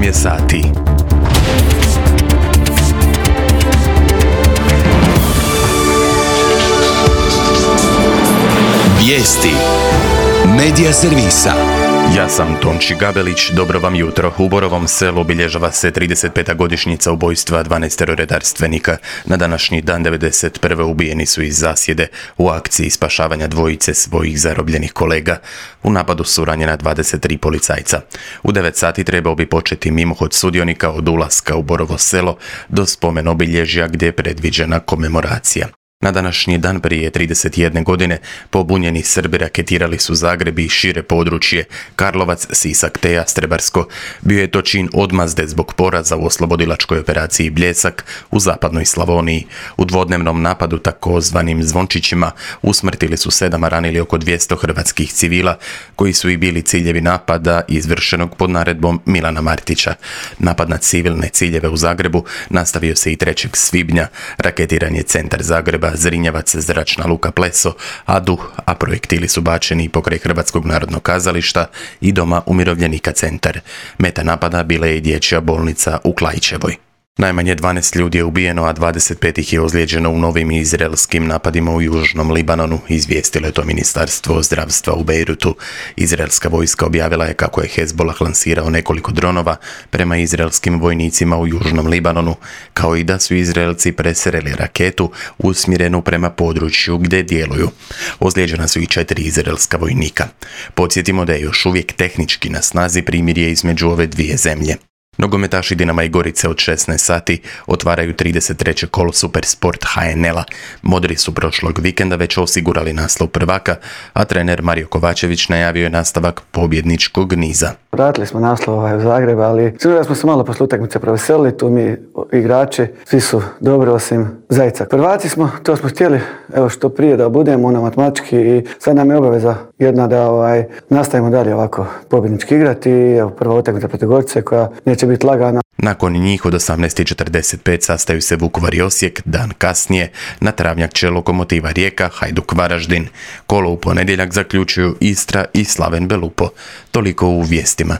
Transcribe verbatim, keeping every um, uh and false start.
je sati. Vijesti Medija servisa. Ja sam Tonči Gabelić, dobro vam jutro. U Borovom selu obilježava se trideset peta godišnjica ubojstva dvanaestero redarstvenika. Na današnji dan devedeset prve ubijeni su iz zasjede u akciji spašavanja dvojice svojih zarobljenih kolega. U napadu su ranjena dvadeset tri policajca. U devet sati trebao bi početi mimohod sudionika od ulaska u Borovo selo do spomen obilježja gdje je predviđena komemoracija. Na današnji dan prije trideset jedne godine pobunjeni Srbi raketirali su Zagreb i šire područje Karlovac, Sisak te Jastrebarsko. Bio je to čin odmazde zbog poraza u oslobodilačkoj operaciji Bljesak u zapadnoj Slavoniji. U dvodnevnom napadu takozvanim Zvončićima usmrtili su sedam, a ranili oko dvjesto hrvatskih civila koji su i bili ciljevi napada izvršenog pod naredbom Milana Martića. Napad na civilne ciljeve u Zagrebu nastavio se i trećeg svibnja. Raketiran je centar Zagreba, Zrinjevac, zračna luka Pleso, Adu, a projektili su bačeni i pokraj Hrvatskog narodnog kazališta i doma umirovljenika Centar. Meta napada bila je i dječja bolnica u Klaićevoj. Najmanje dvanaest ljudi je ubijeno, a dvadeset pet ih je ozlijeđeno u novim izraelskim napadima u južnom Libanonu, izvijestilo je to Ministarstvo zdravstva u Bejrutu. Izraelska vojska objavila je kako je Hezbollah lansirao nekoliko dronova prema izraelskim vojnicima u južnom Libanonu, kao i da su Izraelci presreli raketu usmjerenu prema području gdje djeluju. Ozlijeđena su i četiri izraelska vojnika. Podsjetimo da je još uvijek tehnički na snazi primirje između ove dvije zemlje. Nogometaši Dinama i Gorice od šesnaest sati otvaraju trideset treće kolo Supersport ha en el-a. Modri su prošlog vikenda već osigurali naslov prvaka, a trener Mario Kovačević najavio je nastavak pobjedničkog niza. Vratili smo naslov ovaj u Zagreb, ali sigurno da smo se malo posle utakmice proveselili, tu mi igrači, svi su dobro osim Zajca. Prvaci smo, to smo htjeli, evo što prije da budemo na matematički i sad nam je obaveza jedna da ovaj, nastavimo dalje ovako pobjednički igrati i evo prva utakmica protiv Gorice koja neće biti lagana. Nakon njih od osamnaest i četrdeset pet sastaju se Vukovar i Osijek, dan kasnije na travnjak će Lokomotiva Rijeka, Hajduk Varaždin. Kolo u ponedjeljak zaključuju Istra i Slaven Belupo. Toliko u vijestima.